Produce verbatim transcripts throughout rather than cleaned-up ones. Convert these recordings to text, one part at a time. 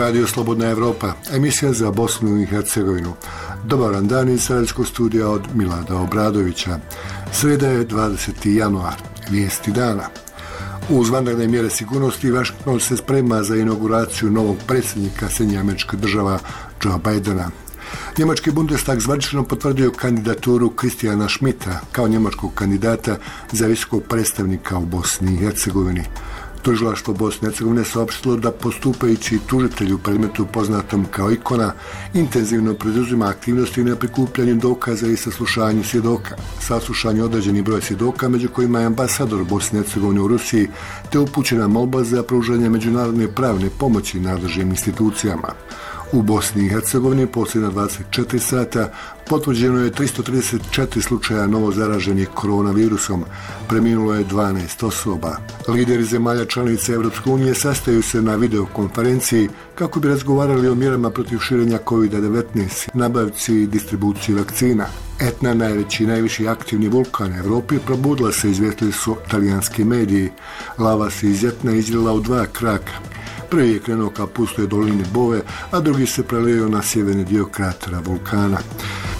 Radio Slobodna Evropa, emisija za Bosnu i Hercegovinu. Dobar vam dan iz Sarajevskog studija od Milada Obradovića. Sreda je dvadeseti januar, vijesti dana. Uz vanredne mjere sigurnosti, Washington se sprema za inauguraciju novog predsjednika Sjedinjenih Američkih Država Joe Bidena. Njemački Bundestag zvanično potvrdio kandidaturu Christiana Schmidta kao njemačkog kandidata za visokog predstavnika u Bosni i Hercegovini. Tužilaštvo Bosne i Hercegovine saopštilo da postupajući tužitelj u predmetu poznatom kao Ikona intenzivno preduzima aktivnosti na prikupljanju dokaza i saslušanju svjedoka. Saslušanje određeni broj svjedoka, među kojima je ambasador Bosne i Hercegovine u Rusiji, te upućena molba za pružanje međunarodne pravne pomoći nadležnim institucijama. U Bosni i Hercegovini posljednja dvadeset četiri sata potvrđeno je tristo trideset četiri slučaja novo zaraženih koronavirusom, preminulo je dvanaest osoba. Lideri zemalja članica Europske unije sastaju se na videokonferenciji kako bi razgovarali o mjerama protiv širenja kovid devetnaest, nabavci i distribuciji vakcina. Etna, najveći i najviši aktivni vulkan Evropi, probudila se, izvijestili su talijanski mediji. Lava se iz Etna izljela u dva kraka. Prvi je krenuo ka pustoj dolini Bove, a drugi se prelio na sjeverni dio kratera vulkana.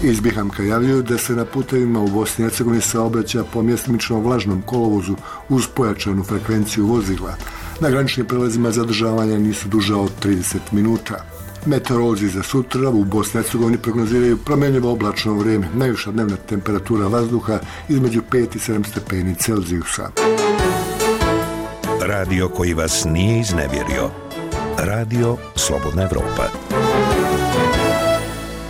Iz Bihamka javljaju da se na putevima u Bosni i Hercegovini saobraća po mjestimično vlažnom kolovozu uz pojačanu frekvenciju vozila. Na graničnim prelazima zadržavanja nisu duža od trideset minuta. Meteorolozi za sutra u Bosni i Hercegovini prognoziraju promjenjivo oblačno vrijeme, najviša dnevna temperatura vazduha između pet i sedam stepeni Celzijusa. Radio koji vas nije iznevjerio. Radio Slobodna Evropa.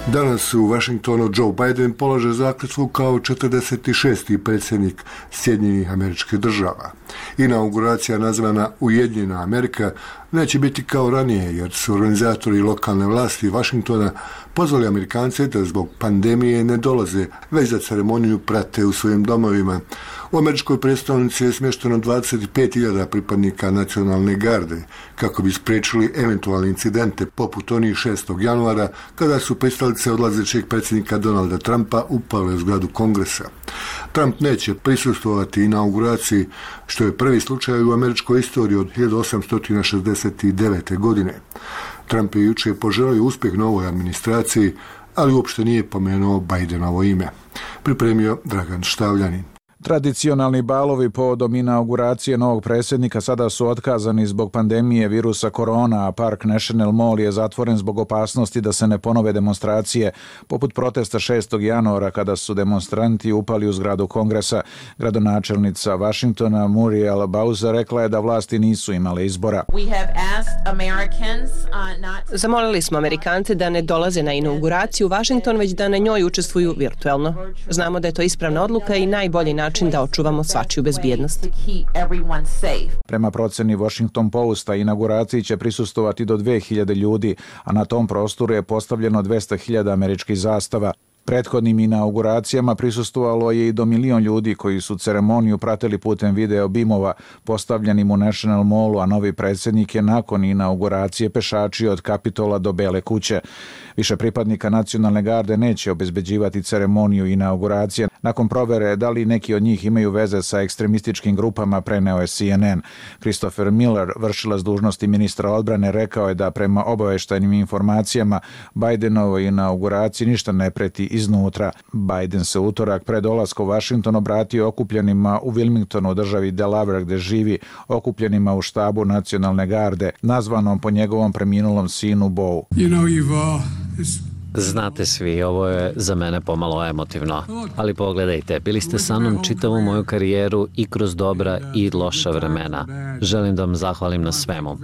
Danas u Washingtonu Joe Biden polaže zakletvu kao četrdeset šesti predsjednik Sjedinjenih Američkih Država. Inauguracija nazvana Ujedinjena Amerika neće biti kao ranije, jer su organizatori lokalne vlasti Washingtona pozvali Amerikance da zbog pandemije ne dolaze, već da ceremoniju prate u svojim domovima. U američkoj predstavnici je smješteno dvadeset pet hiljada pripadnika nacionalne garde, kako bi spriječili eventualne incidente poput onih šestog januara, kada su pristalice odlazećeg predsjednika Donalda Trumpa upale u zgradu Kongresa. Trump neće prisustvovati inauguraciji, što je prvi slučaj u američkoj istoriji od hiljadu osamsto šezdeset devete. godine. Trump je jučer poželio uspjeh novoj administraciji, ali uopšte nije pomenuo Bidenovo ime. Pripremio Dragan Štavljanin. Tradicionalni balovi povodom inauguracije novog predsjednika sada su otkazani zbog pandemije virusa korona, a Park National Mall je zatvoren zbog opasnosti da se ne ponove demonstracije, poput protesta šestog januara kada su demonstranti upali u zgradu Kongresa. Gradonačelnica Washingtona Muriel Bowser rekla je da vlasti nisu imale izbora. Zamolili smo Amerikance da ne dolaze na inauguraciju u Washington, već da na njoj učestvuju virtualno. Znamo da je to ispravna odluka i najbolji način da očuvamo svačiju bezbjednost. Prema proceni Washington Posta, inauguraciji će prisustovati do dve hiljade ljudi, a na tom prostoru je postavljeno dvesta hiljada američkih zastava. Prethodnim inauguracijama prisustvovalo je i do milion ljudi koji su ceremoniju pratili putem video bimova postavljenim u National Mallu, a novi predsjednik je nakon inauguracije pešačio od Kapitola do Bele kuće. Više pripadnika nacionalne garde neće obezbeđivati ceremoniju inauguracije. Nakon provere da li neki od njih imaju veze sa ekstremističkim grupama, preneo je C N N. Christopher Miller, vršilac dužnosti ministra odbrane, rekao je da prema obavještajnim informacijama Bidenovoj inauguraciji ništa ne preti iznutra. Biden se utorak pred dolaskom u Washington obratio okupljenima u Wilmingtonu, državi Delaware gde živi, okupljenima u štabu nacionalne garde, nazvanom po njegovom preminulom sinu Beau. You know, you've, uh, Znate svi, ovo je za mene pomalo emotivno, ali pogledajte, bili ste sa mnom čitavu moju karijeru i kroz dobra i loša vremena. Želim da vam zahvalim na svemu.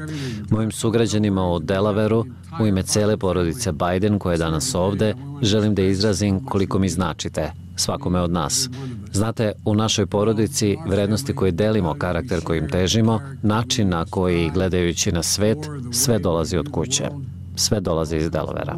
Mojim sugrađanima u Delawareu, u ime cele porodice Biden koja je danas ovde, želim da izrazim koliko mi značite, svakome od nas. Znate, u našoj porodici vrednosti koje delimo, karakter kojim težimo, način na koji gledajući na svet, sve dolazi od kuće. Sve dolazi iz Delavera.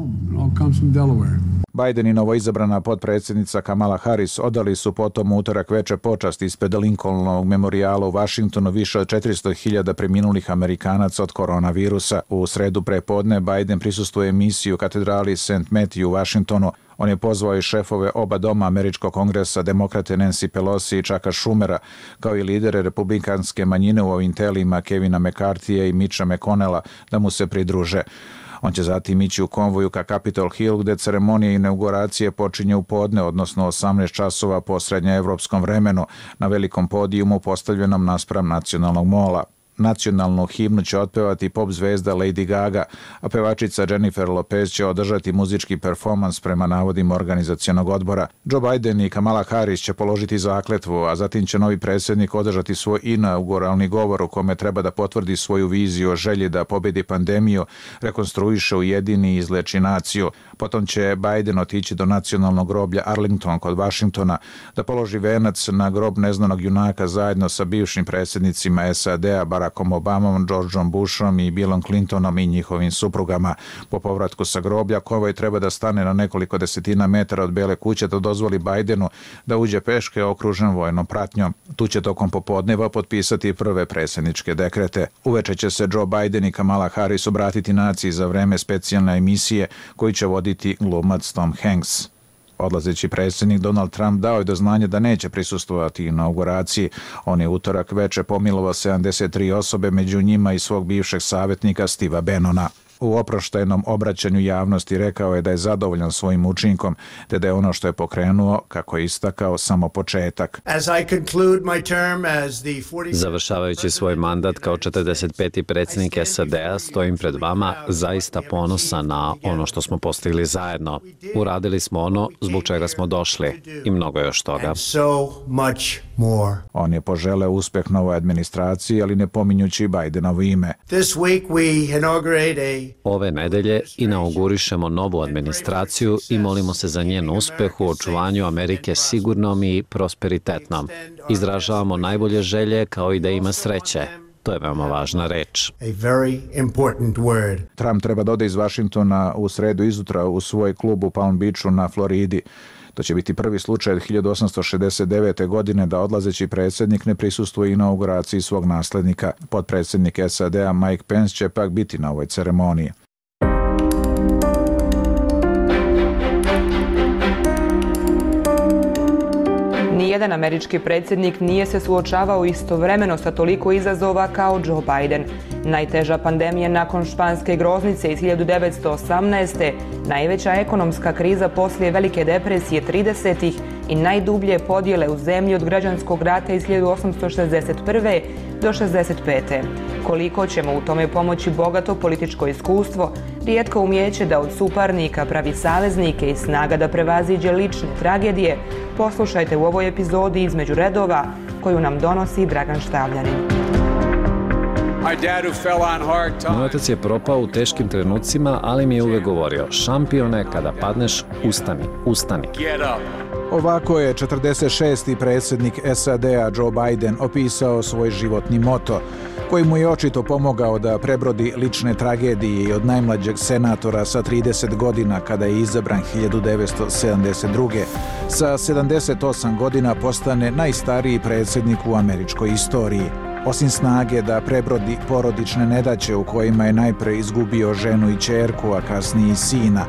Biden i novoizabrana potpredsjednica Kamala Harris odali su potom utorak veče počast ispred Lincolnovog memorijala u Washingtonu više od četiristo hiljada preminulih Amerikanaca od koronavirusa. U sredu prepodne Biden prisustvuje misiji u katedrali Saint Matthew u Washingtonu. On je pozvao i šefove oba doma američkog kongresa, demokrate Nancy Pelosi i Chucka Schumera, kao i lidere republikanske manjine u ovim telima Kevina McCarthyja i Mitcha McConnella da mu se pridruže. On će zatim ići u konvoju ka Capitol Hill, gde ceremonija inauguracije počinje u podne, odnosno osamnaest časova po srednjoevropskom vremenu, na velikom podijumu postavljenom naspram Nacionalnog mola. Nacionalnu himnu će otpevati pop zvezda Lady Gaga, a pevačica Jennifer Lopez će održati muzički performans prema navodima organizacionog odbora. Joe Biden i Kamala Harris će položiti zakletvu, a zatim će novi predsjednik održati svoj inauguralni govor u kome treba da potvrdi svoju viziju o želji da pobedi pandemiju, rekonstruiše, ujedini i izleči naciju. Potom će Biden otići do nacionalnog groblja Arlington kod Vašingtona da položi venac na grob neznanog junaka zajedno sa bivšim predsjednicima S A D-a Barackom Obamom, Georgeom Bushom i Billom Clintonom i njihovim suprugama. Po povratku sa groblja konvoj treba da stane na nekoliko desetina metara od Bele kuće da dozvoli Bidenu da uđe peške okružen vojnom pratnjom. Tu će tokom popodneva potpisati prve predsjedničke dekrete. Uveče će se Joe Biden i Kamala Harris obratiti naciji za vreme specijalne emisije koju će voditi glumac Tom Hanks. Odlazeći predsjednik Donald Trump dao je do znanja da neće prisustvovati inauguraciji. On je utorak veče pomilovao sedamdeset tri osobe, među njima i svog bivšeg savjetnika Steva Bannona. U oproštajnom obraćanju javnosti rekao je da je zadovoljan svojim učinkom, te da je ono što je pokrenuo, kako je istakao, samo početak. Završavajući svoj mandat kao četrdeset peti predsjednik S A D-a, stojim pred vama zaista ponosan na ono što smo postigli zajedno. Uradili smo ono zbog čega smo došli i mnogo još toga. On je poželeo uspeh novoj administraciji, ali ne pominjući Bidenovo ime. Ove nedelje inaugurišemo novu administraciju i molimo se za njen uspeh u očuvanju Amerike sigurnom i prosperitetnom. Izražavamo najbolje želje kao i da ima sreće. To je veoma važna reč. Trump treba da ode iz Vašingtona u sredu izutra u svoj klub u Palm Beachu na Floridi. To će biti prvi slučaj od hiljadu osamsto šezdeset devete. godine da odlazeći predsjednik ne prisustvuje inauguraciji svog naslednika. Potpredsjednik S A D-a Mike Pence će pak biti na ovoj ceremoniji. Nijedan američki predsjednik nije se suočavao istovremeno sa toliko izazova kao Joe Biden. Najteža pandemija nakon španske groznice iz hiljadu devetsto osamnaeste. najveća ekonomska kriza poslije Velike depresije tridesetih i najdublje podjele u zemlji od građanskog rata iz hiljadu osamsto šezdeset prve. do šezdeset pete. Koliko ćemo u tome pomoći bogato političko iskustvo, rijetko umijeće da od suparnika pravi saveznike i snaga da prevaziđe lične tragedije, poslušajte u ovoj epizodi Između redova koju nam donosi Dragan Štavljanin. Moj otac je propao u teškim trenucima, ali mi je uvek govorio: šampione, kada padneš, ustani, ustani. Ovako je četrdeset šesti predsjednik S A D-a Joe Biden opisao svoj životni moto, koji mu je očito pomogao da prebrodi lične tragedije i od najmlađeg senatora sa trideset godina kada je izabran hiljadu devetsto sedamdeset druge. Sa sedamdeset osam godina postane najstariji predsjednik u američkoj istoriji. Osim snage da prebrodi porodične nedaće u kojima je najpre izgubio ženu i ćerku, a kasnije i sina,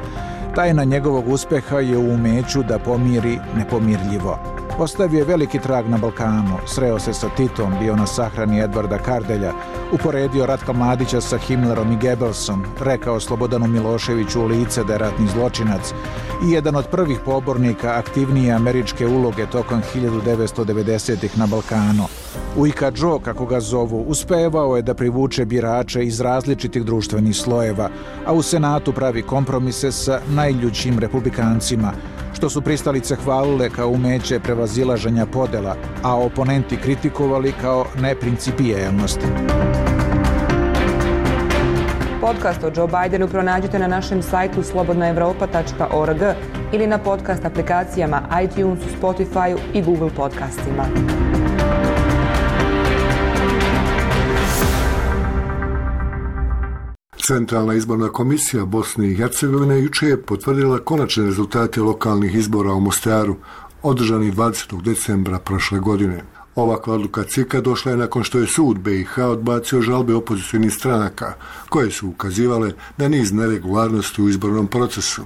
tajna njegovog uspeha je u umeću da pomiri nepomirljivo. Ostavio je veliki trag na Balkanu, sreo se sa Titom, bio na sahrani Edvarda Kardelja, uporedio Ratka Mladića sa Himmlerom i Goebbelsom, rekao Slobodanu Miloševiću u lice da je ratni zločinac i jedan od prvih pobornika aktivnije američke uloge tokom hiljadu devetsto devedesetih na Balkanu. Ujka Joe, kako ga zovu, uspevao je da privuče birače iz različitih društvenih slojeva, a u Senatu pravi kompromise sa najljućim republikancima, što su pristalice hvalile kao umeće prevazilaženja podela, a oponenti kritikovali kao neprincipijelnost. Podcast o Joe Bidenu pronađite na našem sajtu slobodna evropa tačka org ili na podcast aplikacijama iTunesu, Spotifyu i Google podcastima. Centralna izborna komisija Bosne i Hercegovine juče je potvrdila konačne rezultate lokalnih izbora u Mostaru, održanih dvadesetog decembra prošle godine. Ovakva odluka C I K-a došla je nakon što je sud B i H odbacio žalbe opozicionih stranaka, koje su ukazivale na niz neregularnosti u izbornom procesu.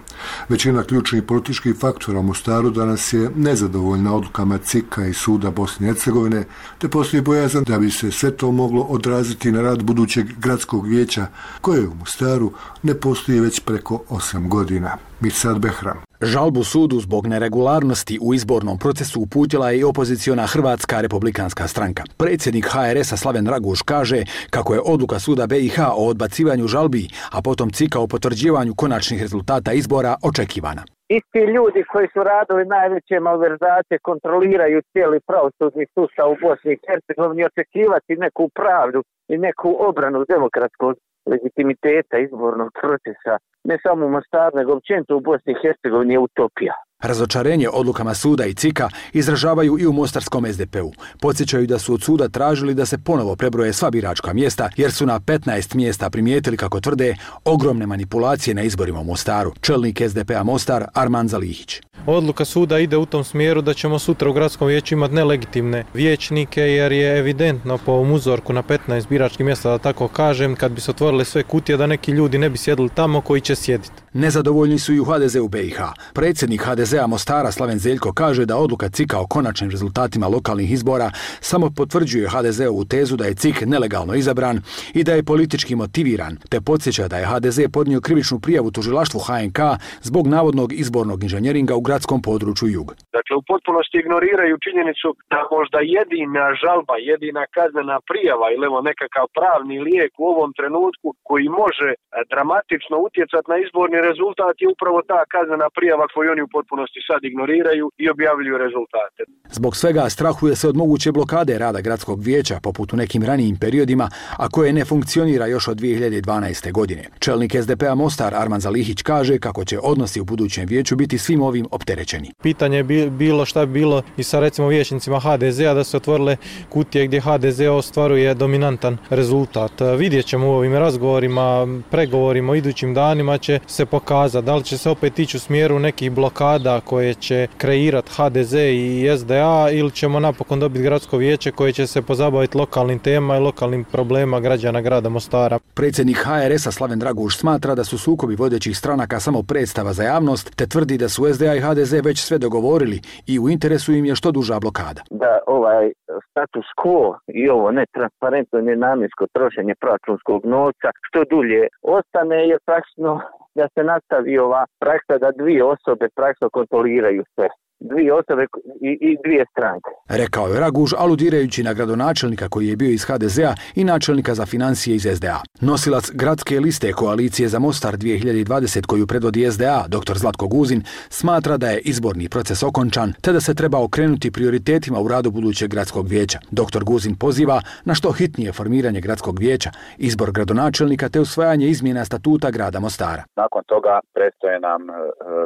Većina ključnih političkih faktora u Mostaru danas je nezadovoljna odlukama C I K-a i suda Bosne i Hercegovine, te postoji bojazan da bi se sve to moglo odraziti na rad budućeg gradskog vijeća, koje u Mostaru ne postoji već preko osam godina. Mirsad Behram. Žalbu sudu zbog neregularnosti u izbornom procesu uputila je i opoziciona Hrvatska republikanska stranka. Predsjednik H R S-a Slaven Raguš kaže kako je odluka suda B i H o odbacivanju žalbi, a potom C I K-a o potvrđivanju konačnih rezultata izbora očekivana. Isti ljudi koji su radili najveće malverzacije kontroliraju cijeli pravosudni sustav u Bosni i Hercegovini, očekivati neku pravdu i neku obranu demokratskog legitimiteta izbornog procesa, ne samo u Mostaru, nego općenito u Bosni i Hercegovini, je utopija. Razočarenje odlukama suda i C I K-a izražavaju i u mostarskom S D P-u. Podsjećaju da su od suda tražili da se ponovo prebroje sva biračka mjesta, jer su na petnaest mjesta primijetili, kako tvrde, ogromne manipulacije na izborima u Mostaru. Čelnik S D P-a Mostar Arman Zalihić. Odluka suda ide u tom smjeru da ćemo sutra u gradskom vijeću imati nelegitimne vijećnike, jer je evidentno po ovom uzorku na petnaest biračkih mjesta, da tako kažem, kad bi se otvorile sve kutije, da neki ljudi ne bi sjedili tamo koji će sjediti. Nezadovoljni su i u H D Z-u B i H. Predsjednik H D Z-a Mostara Slaven Zeljko kaže da odluka C I K-a o konačnim rezultatima lokalnih izbora samo potvrđuje H D Z-ovu tezu da je C I K nelegalno izabran i da je politički motiviran, te podsjeća da je H D Z podnio krivičnu prijavu tužilaštvu H N K zbog navodnog izbornog inženjeringa u gradskom području Jug. Dakle, u potpunosti ignoriraju činjenicu da možda jedina žalba, jedina kaznena prijava ili evo nekakav pravni lijek u ovom trenutku koji može dramatično utjecati na izborni rezultat je upravo ta kaznena prijava koju oni u potpunosti sad ignoriraju i objavljuju rezultate. Zbog svega strahuje se od moguće blokade rada gradskog vijeća, poput u nekim ranijim periodima, a koje ne funkcionira još od dvije hiljade dvanaeste. godine. Čelnik S D P-a Mostar Arman Zalihić kaže kako će odnosi u budućem vijeću biti svim ovim opterećeni. Pitanje je bilo šta bi bilo i sa recimo vijećnicima H D Z-a da se otvorile kutije gdje H D Z ostvaruje dominantan rezultat. Vidjet ćemo u ovim razgovorima, pregovorima o idućim danima će se pokazati da li će se opet ići u smjeru nekih blokada koje će kreirati H D Z i S D A ili ćemo napokon dobiti gradsko vijeće koje će se pozabaviti lokalnim temama i lokalnim problema građana grada Mostara. Predsjednik H R S-a Slaven Draguš smatra da su sukobi vodećih stranaka samo predstava za javnost, te tvrdi da su S D A i H D Z već sve dogovorili i u interesu im je što duža blokada. Da ovaj status quo i ovo netransparentno i nenamjensko trošenje proračunskog novca što dulje ostane je praktično da se nastavi ova praksa da dvije osobe praktično kontroliraju sve. Dvije osobe i, i dvije stranke. Rekao je Raguž, aludirajući na gradonačelnika koji je bio iz H D Z-a i načelnika za financije iz S D A. Nosilac gradske liste Koalicije za Mostar dvije hiljade dvadesete koju predvodi S D A, dr Zlatko Guzin, smatra da je izborni proces okončan, te da se treba okrenuti prioritetima u radu budućeg gradskog vijeća. dr Guzin poziva na što hitnije formiranje gradskog vijeća, izbor gradonačelnika te usvajanje izmjena statuta grada Mostara. Nakon toga predstoje nam e,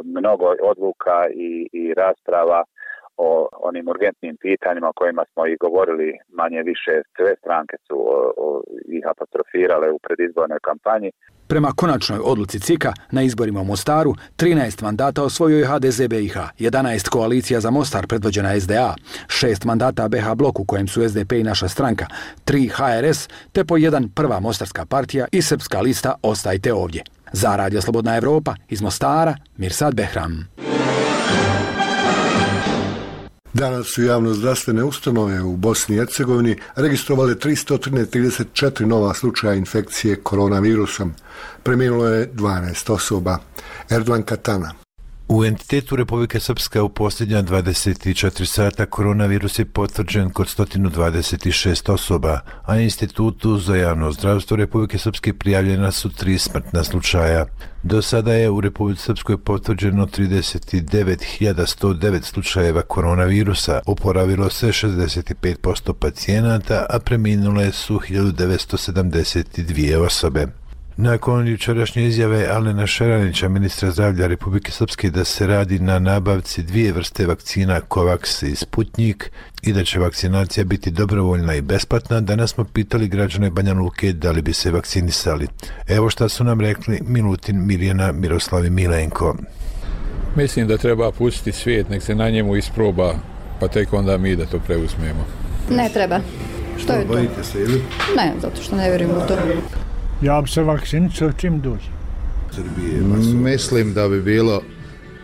mnogo odluka i, i rasprava o onim urgentnim pitanjima o kojima smo i govorili manje više. Sve stranke su o, o, ih apostrofirale u predizbornoj kampanji. Prema konačnoj odluci C I K-a na izborima u Mostaru, trinaest mandata osvojio je H D Z B i H, jedanaest Koalicija za Mostar predvođena S D A, šest mandata B H blok u kojem su S D P i naša stranka, tri H R S, te po jedan prva mostarska partija i srpska lista Ostajte ovdje. Za Radio Slobodna Evropa iz Mostara, Mirsad Behram. Danas su javno-zdravstvene ustanove u Bosni i Hercegovini registrovale tristo trideset četiri nova slučaja infekcije koronavirusom. Preminulo je dvanaest osoba. Erdogan Katana. U entitetu Republike Srpska u posljednja dvadeset četiri sata koronavirus je potvrđen kod sto dvadeset šest osoba, a na Institutu za javno zdravstvo Republike Srpske prijavljena su tri smrtna slučaja. Do sada je u Republici Srpskoj potvrđeno trideset devet hiljada sto devet slučajeva koronavirusa, oporavilo se šezdeset pet posto pacijenata, a preminule su hiljadu devetsto sedamdeset dvije osobe. Nakon jučerašnje izjave Alena Šaranića, ministra zdravlja Republike Srpske, da se radi na nabavci dvije vrste vakcina Covax i Sputnik i da će vakcinacija biti dobrovoljna i besplatna, danas smo pitali građane Banja Luke da li bi se vakcinisali. Evo šta su nam rekli Milutin, Mirjana, Miroslav i Milenko. Mislim da treba pustiti svijet, nek se na njemu isproba, pa tek onda mi da to preuzmemo. Ne treba. Što je to? Bojite se ili? Ne, zato što ne vjerujem u to. Ja bi se vakcinicao čim dođe. Mislim da bi bilo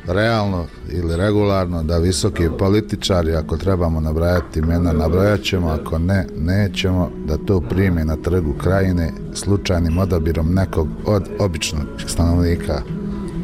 realno ili regularno da visoki političari, ako trebamo nabrajati imena, nabrajat ćemo, ako ne, nećemo, da to prime na trgu Krajine slučajnim odabirom nekog od običnog stanovnika,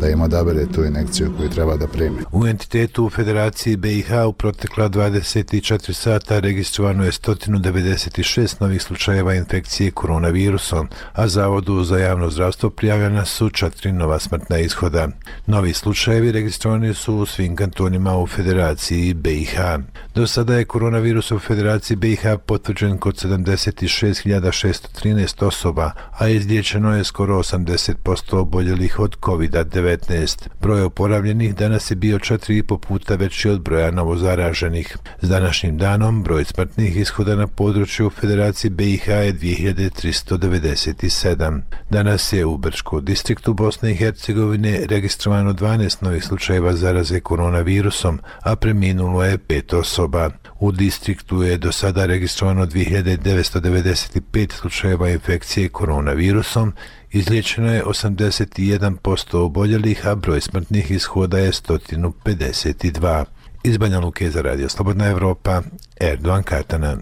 da im odabere tu injekciju koju treba da primi. U entitetu u Federaciji B i H u protekla dvadeset četiri sata registrovano je sto devedeset šest novih slučajeva infekcije koronavirusom, a Zavodu za javno zdravstvo prijavljena su četiri nova smrtna ishoda. Novi slučajevi registrovani su u svim kantonima u Federaciji B i H. Do sada je koronavirus u Federaciji B i H potvrđen kod sedamdeset šest hiljada šesto trinaest osoba, a izliječeno je skoro osamdeset posto oboljelih od kovid devetnaest. Broj oporavljenih danas je bio četiri i po puta veći od broja novozaraženih. S današnjim danom broj smrtnih ishoda na području Federacije B i H je dvije hiljade tristo devedeset sedam. Danas je u Brčkom distriktu Bosne i Hercegovine registrovano dvanaest novih slučajeva zaraze koronavirusom, a preminulo je pet osoba. U distriktu je do sada registrovano dvije hiljade devetsto devedeset pet slučajeva infekcije koronavirusom, izliječeno je osamdeset jedan posto oboljelih, a broj smrtnih ishoda je sto pedeset dva. Iz Banja Luke za Radio Slobodna Evropa, Erdogan Katana.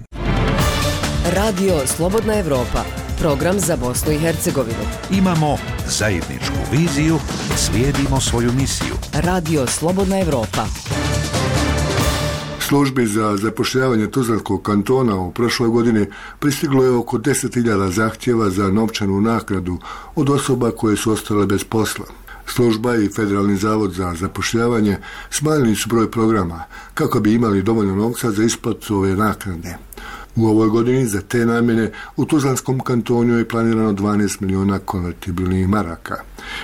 Radio Slobodna Evropa, program za Bosnu i Hercegovinu. Imamo zajedničku viziju, slijedimo svoju misiju. Radio Slobodna Evropa. Službi za zapošljavanje Tuzlanskog kantona u prošloj godini pristiglo je oko deset hiljada zahtjeva za novčanu naknadu od osoba koje su ostale bez posla. Služba i Federalni zavod za zapošljavanje smanjili su broj programa kako bi imali dovoljno novca za isplatu ove naknade. U ovoj godini za te namjene u Tuzlanskom kantonu je planirano dvanaest miliona konvertibilnih maraka,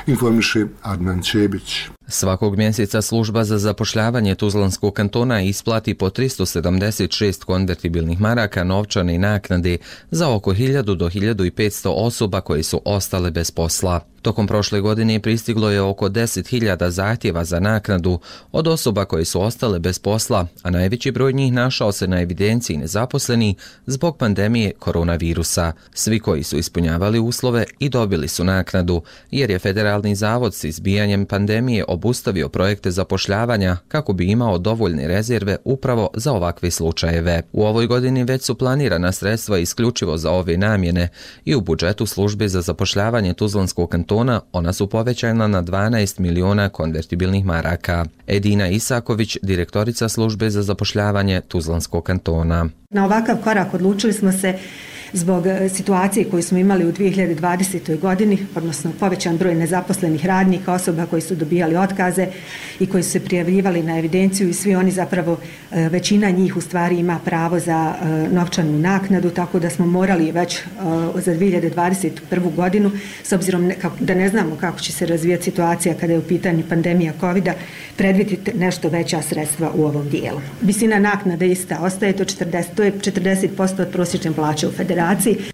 informiše Adnan Čebić. Svakog mjeseca služba za zapošljavanje Tuzlanskog kantona isplati po tristo sedamdeset šest konvertibilnih maraka novčane naknade za oko hiljadu do hiljadu petsto osoba koje su ostale bez posla. Tokom prošle godine pristiglo je oko deset hiljada zahtjeva za naknadu od osoba koje su ostale bez posla, a najveći broj njih našao se na evidenciji nezaposleni zbog pandemije koronavirusa. Svi koji su ispunjavali uslove i dobili su naknadu, jer je Federalni zavod s izbijanjem pandemije obustavio projekte zapošljavanja kako bi imao dovoljne rezerve upravo za ovakve slučajeve. U ovoj godini već su planirana sredstva isključivo za ove namjene i u budžetu službe za zapošljavanje Tuzlanskog kantona ona su povećana na dvanaest miliona konvertibilnih maraka. Edina Isaković, direktorica službe za zapošljavanje Tuzlanskog kantona. Na ovakav korak odlučili smo se zbog situacije koju smo imali u dvije hiljade dvadesetoj godini, odnosno povećan broj nezaposlenih radnika, osoba koji su dobijali otkaze i koji su se prijavljivali na evidenciju i svi oni zapravo, većina njih u stvari ima pravo za novčanu naknadu, tako da smo morali već za dvije hiljade dvadeset prvu godinu, s obzirom da ne znamo kako će se razvijati situacija kada je u pitanju pandemija kovida, predvidjeti nešto veća sredstva u ovom dijelu. Visina naknade ista ostaje, to, četrdeset, to je četrdeset posto od prosječne plaće u federaciji.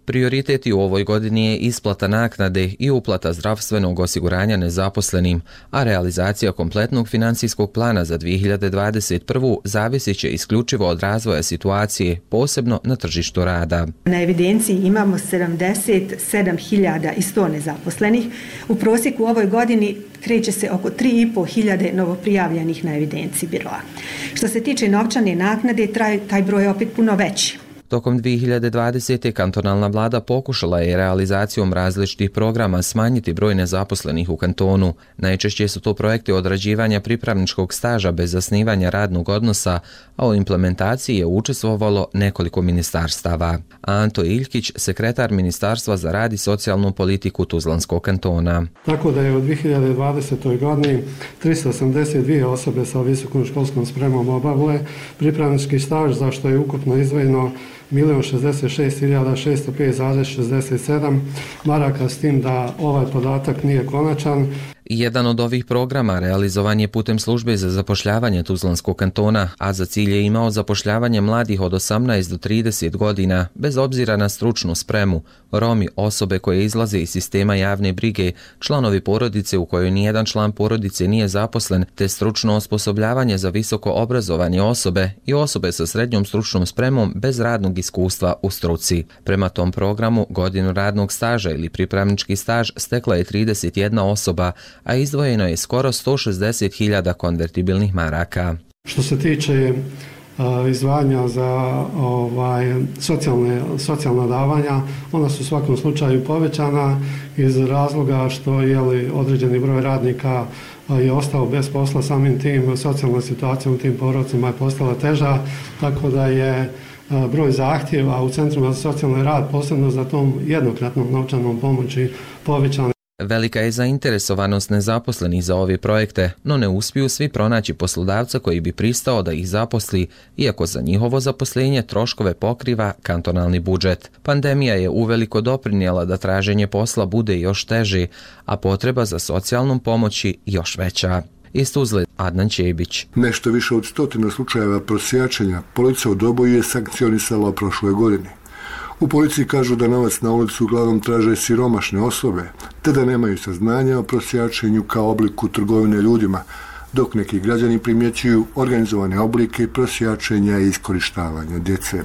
Prioriteti u ovoj godini je isplata naknade i uplata zdravstvenog osiguranja nezaposlenim, a realizacija kompletnog financijskog plana za dvije hiljade dvadeset prvu zavisit će isključivo od razvoja situacije, posebno na tržištu rada. Na evidenciji imamo sedamdeset sedam hiljada sto nezaposlenih. U prosjeku u ovoj godini kreće se oko tri i po hiljade novoprijavljenih na evidenciji biroa. Što se tiče novčane naknade, taj, taj broj je opet puno veći. Tokom dvije hiljade dvadesete. kantonalna vlada pokušala je realizacijom različitih programa smanjiti broj nezaposlenih u kantonu. Najčešće su to projekti odrađivanja pripravničkog staža bez zasnivanja radnog odnosa, a u implementaciji je učestvovalo nekoliko ministarstava. Anto Iljkić, sekretar Ministarstva za rad i socijalnu politiku Tuzlanskog kantona. Tako da je u dvije hiljade dvadesetoj. godini tristo osamdeset dvije osobe sa visokom školskom spremom obavile pripravnički staž, za što je ukupno izdvojeno milion šezdeset šest hiljada šesto pet zarez šezdeset sedam maraka, s tim da ovaj podatak nije konačan. Jedan od ovih programa realizovan je putem službe za zapošljavanje Tuzlanskog kantona, a za cilj je imao zapošljavanje mladih od osamnaest do trideset godina, bez obzira na stručnu spremu, Romi, osobe koje izlaze iz sistema javne brige, članovi porodice u kojoj nijedan član porodice nije zaposlen, te stručno osposobljavanje za visoko obrazovanje osobe i osobe sa srednjom stručnom spremom bez radnog iskustva u struci. Prema tom programu, godinu radnog staža ili pripravnički staž stekla je trideset jedna osoba, a izdvojeno je skoro sto šezdeset hiljada konvertibilnih maraka. Što se tiče izdvajanja za ovaj, socijalne, socijalna davanja, ona su u svakom slučaju povećana iz razloga što je li određeni broj radnika je ostao bez posla, samim tim socijalna situacija u tim porodcima je postala teža, tako da je broj zahtjeva u centrima za socijalni rad, posebno za tom jednokratnom novčanom pomoći, povećan. Velika je zainteresovanost nezaposlenih za ove projekte, no ne uspiju svi pronaći poslodavca koji bi pristao da ih zaposli, iako za njihovo zaposlenje troškove pokriva kantonalni budžet. Pandemija je uveliko doprinijela da traženje posla bude još teže, a potreba za socijalnom pomoći još veća. Iz Tuzle, Adnan Čebić. Nešto više od stotina slučajeva prosjačenja policija u Doboju je sankcionisala u prošloj godini. U policiji kažu da novac na ulicu uglavnom traže siromašne osobe, te da nemaju saznanja o prosjačenju kao obliku trgovine ljudima, dok neki građani primjećuju organizovane oblike prosjačenja i iskorištavanja djece.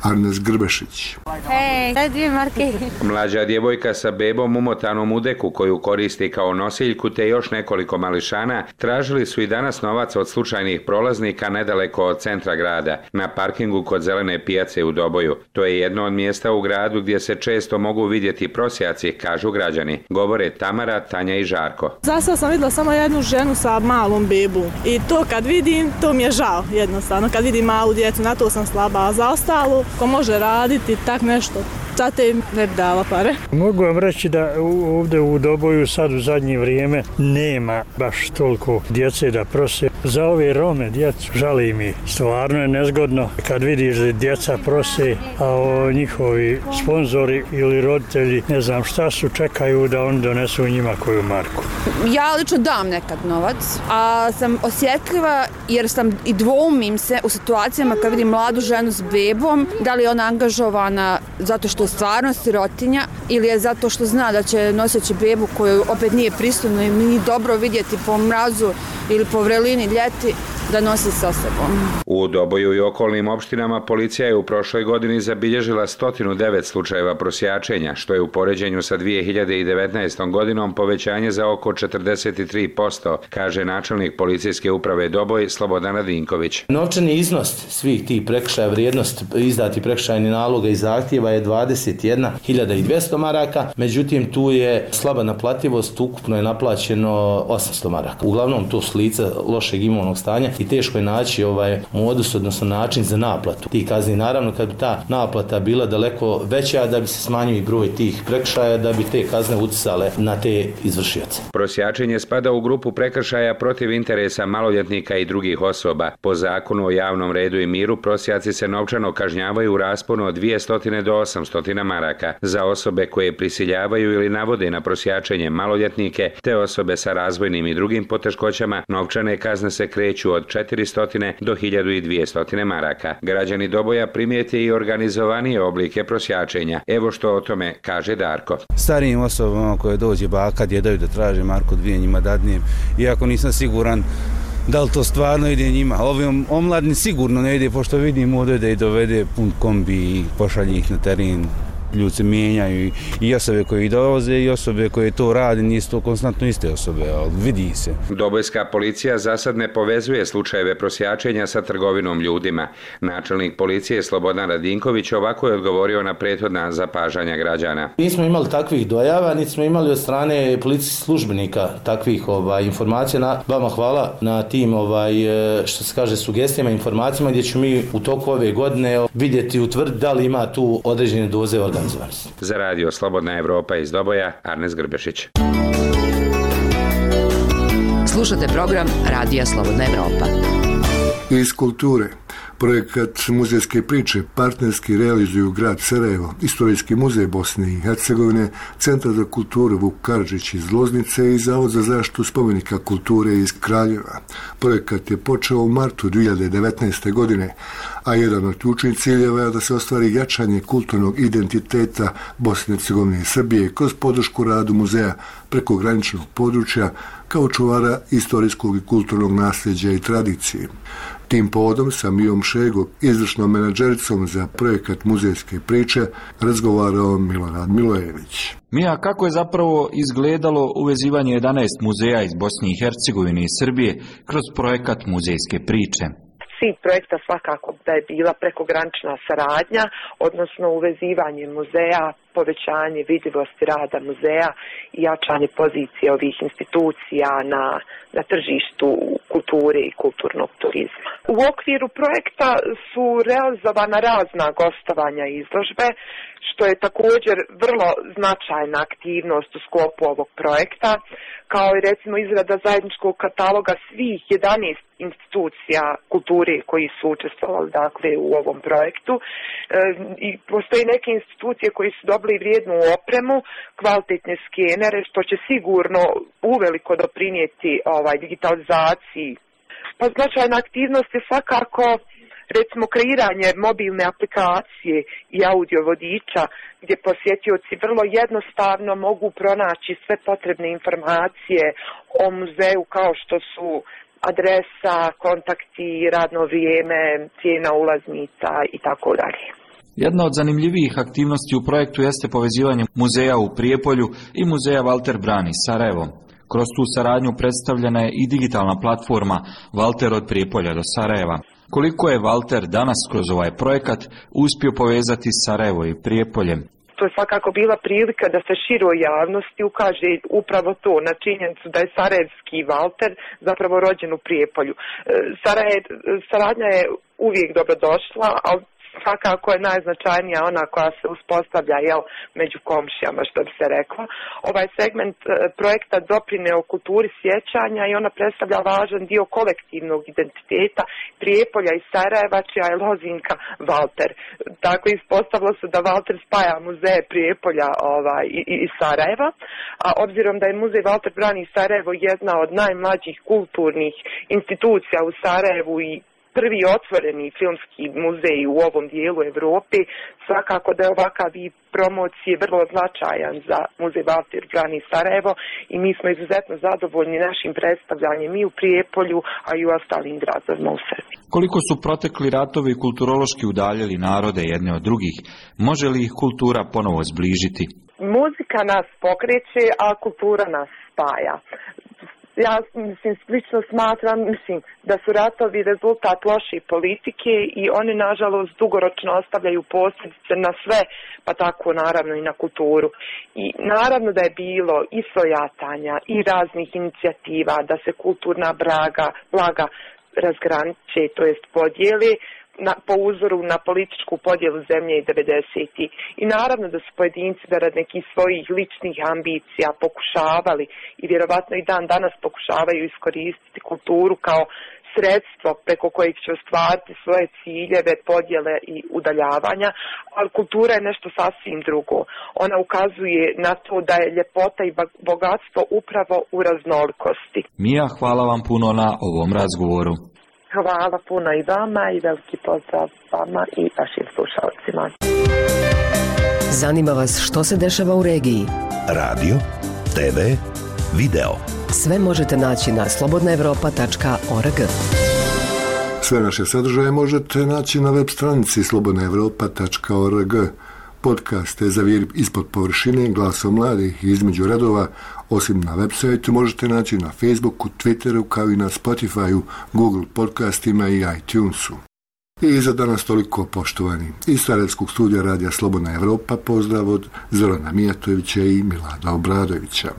Arnes Grbešić. Hey, mlađa djevojka sa bebom umotanom u deku koju koristi kao nosiljku te još nekoliko mališana tražili su i danas novac od slučajnih prolaznika nedaleko od centra grada, na parkingu kod Zelene pijace u Doboju. To je jedno od mjesta u gradu gdje se često mogu vidjeti prosjaci, kažu građani. Govore Tamara, Tanja i Žarko. Zasad sam vidjela samo jednu ženu sa malom bebu i to kad vidim, to mi je žao jednostavno. Kad vidim malu djecu, na to sam slaba, a za ostalo, ko može raditi tak nešto, zato im ne bi dala pare. Mogu vam reći da ovdje u Doboju sad u zadnje vrijeme nema baš toliko djece da prose. Za ove Rome djecu žali mi. Stvarno je nezgodno kad vidiš da djeca prose, a o njihovi sponzori ili roditelji, ne znam šta su, čekaju da oni donesu njima koju marku. Ja lično dam nekad novac, a sam osjetljiva jer sam i dvoumim se u situacijama kad vidim mladu ženu s bebom, da li je ona angažovana zato što je stvarno sirotinja ili je zato što zna da će noseći bebu koju opet nije pristojno i nije dobro vidjeti po mrazu ili po vrelini ljeti da nosi sa sobom. U Doboju i okolnim opštinama policija je u prošloj godini zabilježila sto devet slučajeva prosjačenja, što je u poređenju sa dvije hiljade devetnaestom godinom povećanje za oko četrdeset tri posto, kaže načelnik policijske uprave Doboj Slobodan Radinković. Novčani iznos svih tih prekršaja, vrijednost izdati prekršajni naloga i zahtjeva je dvadeset jedna hiljada dvjesto maraka, međutim tu je slaba naplativost, ukupno je naplaćeno osamsto maraka. Uglavnom to su lica lošeg imovnog stanja i teško je naći ovaj modus, odnosno način za naplatu tih kazni. Naravno, kad bi ta naplata bila daleko veća, da bi se smanjio i broj tih prekršaja, da bi te kazne utjecale na te izvršioce. Prosjačenje spada u grupu prekršaja protiv interesa maloljetnika i drugih osoba. Po zakonu o javnom redu i miru prosjaci se novčano kažnjavaju u rasponu od dvjesto do osamsto maraka. Za osobe koje prisiljavaju ili navode na prosjačenje maloljetnike te osobe sa razvojnim i drugim poteškoćama, novčane kazne se kreću od četiristo do hiljadu dvjesto maraka. Građani Doboja primijete i organizovanije oblike prosjačenja. Evo što o tome kaže Darko. Starijim osobama koje dođe baka, djedaju da traže marku dvije njima dadnijem, iako nisam siguran da li to stvarno ide njima. Ovim omladni sigurno ne ide, pošto vidim ovdje da i dovede pun kombi i pošalje ih na teren. Ljudi se mijenjaju i osobe koje ih dolaze i osobe koje to rade, nisu to konstantno iste osobe, ali vidi se. Dobojska policija za sad ne povezuje slučajeve prosjačenja sa trgovinom ljudima. Načelnik policije Slobodan Radinković ovako je odgovorio na prethodna zapažanja građana. Nismo imali takvih dojava, niti smo imali od strane policijskih službenika takvih ovaj, informacija. Na, vama hvala na tim ovaj, što se kaže sugestijama, informacijama gdje ću mi u toku ove godine vidjeti i utvrditi da li ima tu određene doze organizacije. Za radio Slobodna Evropa iz Doboja, Arnes Grbešić. Slušate program Radija Slobodna Evropa. Iz kulture. Projekat muzejske priče partnerski realizuju grad Sarajevo, Istorijski muzej Bosne i Hercegovine, Centar za kulturu Vuk Karadžić iz Loznice i Zavod za zaštitu spomenika kulture iz Kraljeva. Projekat je počeo u martu dvije hiljade devetnaeste. godine, a jedan od ključnih ciljeva je da se ostvari jačanje kulturnog identiteta Bosne i Hercegovine i Srbije kroz podršku radu muzeja prekograničnog područja kao čuvara istorijskog i kulturnog nasljeđa i tradicije. Tim povodom sa Mijom Šegom, izvršnom menadžericom za projekat muzejske priče, razgovarao Milorad Milojević. Mija, kako je zapravo izgledalo uvezivanje jedanaest muzeja iz Bosne i Hercegovine i Srbije kroz projekat muzejske priče? Cilj projekta svakako da je bila prekogranična saradnja, odnosno uvezivanje muzeja, povećanje vidljivosti rada muzeja i jačanje pozicije ovih institucija na, na tržištu kulture i kulturnog turizma. U okviru projekta su realizovana razna gostovanja i izložbe, što je također vrlo značajna aktivnost u sklopu ovog projekta, kao i recimo izrada zajedničkog kataloga svih jedanaest institucija kulture koji su učestvovali dakle u ovom projektu. E, i postoje neke institucije koji su dobili vrijednu opremu, kvalitetne skenere, što će sigurno uveliko doprinijeti ovaj digitalizaciji. Pa značajna aktivnost je svakako recimo kreiranje mobilne aplikacije i audio vodiča gdje posjetioci vrlo jednostavno mogu pronaći sve potrebne informacije o muzeju kao što su adresa, kontakti, radno vrijeme, cijena ulaznica i tako dalje. Jedna od zanimljivijih aktivnosti u projektu jeste povezivanje muzeja u Prijepolju i muzeja Valter Brani Sarajevo. Kroz tu saradnju predstavljena je i digitalna platforma Valter od Prijepolja do Sarajeva. Koliko je Valter danas kroz ovaj projekat uspio povezati Sarajevo i Prijepolje? To je svakako bila prilika da se široj javnosti ukaže upravo to na činjenicu da je sarajevski Valter zapravo rođen u Prijepolju. Sarajev, saradnja je uvijek dobrodošla, ali svakako je najznačajnija ona koja se uspostavlja jel, među komšijama, što bi se reklo. Ovaj segment e, projekta doprineo kulturi sjećanja i ona predstavlja važan dio kolektivnog identiteta Prijepolja i Sarajeva, čija je lozinka Valter. Tako ispostavilo se da Valter spaja muzeje Prijepolja ovaj, i, i Sarajeva, a obzirom da je muzej Valter Brani Sarajevo jedna od najmlađih kulturnih institucija u Sarajevu i prvi otvoreni filmski muzej u ovom dijelu Europe, svakako da je ovakav vid promocije vrlo značajan za muzej Valter Brani Sarajevo i mi smo izuzetno zadovoljni našim predstavljanjem i u Prijepolju, a i u ostalim gradovima u Srbiji. Koliko su protekli ratovi kulturološki udaljili narode jedne od drugih, može li ih kultura ponovo zbližiti? Muzika nas pokreće, a kultura nas spaja. Ja mislim, slično smatram mislim, da su ratovi rezultat loše politike i oni nažalost dugoročno ostavljaju posljedice na sve, pa tako naravno i na kulturu. I naravno da je bilo i svojatanja i raznih inicijativa da se kulturna braga, blaga razgraniče, to jest podijeli, Na, po uzoru na političku podjelu zemlje i devedesetih. I naravno da su pojedinci da rad nekih svojih ličnih ambicija pokušavali i vjerovatno i dan danas pokušavaju iskoristiti kulturu kao sredstvo preko kojeg će ostvariti svoje ciljeve, podjele i udaljavanja, ali kultura je nešto sasvim drugo. Ona ukazuje na to da je ljepota i bogatstvo upravo u raznolikosti. Mija, hvala vam puno na ovom razgovoru. Hvala puno i vama i veliki pozdrav vama i vašim slušalcima. Zanima vas što se dešava u regiji? Radio, te ve, video. Sve možete naći na slobodna evropa tačka org. Sve naše sadržaje možete naći na web stranici slobodna evropa tačka org. Podcaste Zavir ispod površine, Glasom mladih i Između redova, osim na web sajtu, možete naći na Facebooku, Twitteru, kao i na Spotifyu, Google podcastima i iTunesu. I za danas toliko, poštovani. Iz Sarajevskog studija Radija Slobodna Evropa pozdrav od Zorana Mijatovića i Milada Obradovića.